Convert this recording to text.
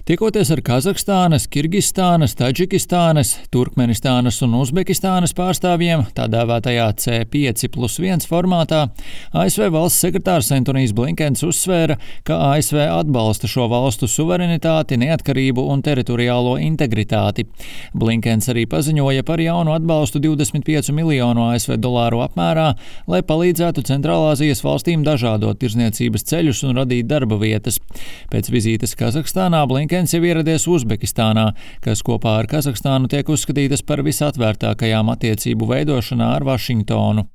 Tikoties ar Kazahstānas, Kirgistānas, Tadžikistānas, Turkmenistānas un Uzbekistānas pārstāvjiem tā dēvētajā C5+1 formātā, ASV valsts sekretārs Antonijs Blinkens uzsvēra, ka ASV atbalsta šo valstu suverenitāti, neatkarību un teritoriālo integritāti. Blinkens arī paziņoja par jaunu atbalstu 25 miljonu ASV dolāru apmērā, lai palīdzētu Centrālāzijas valstīm dažādot tirdzniecības ceļus un radīt darba vietas. Pēc vizītes Kazahstānā Blinkens jau ieradies Uzbekistānā, kas kopā ar Kazahstānu tiek uzskatītas par visatvērtākajām attiecību veidošanā ar Vašingtonu.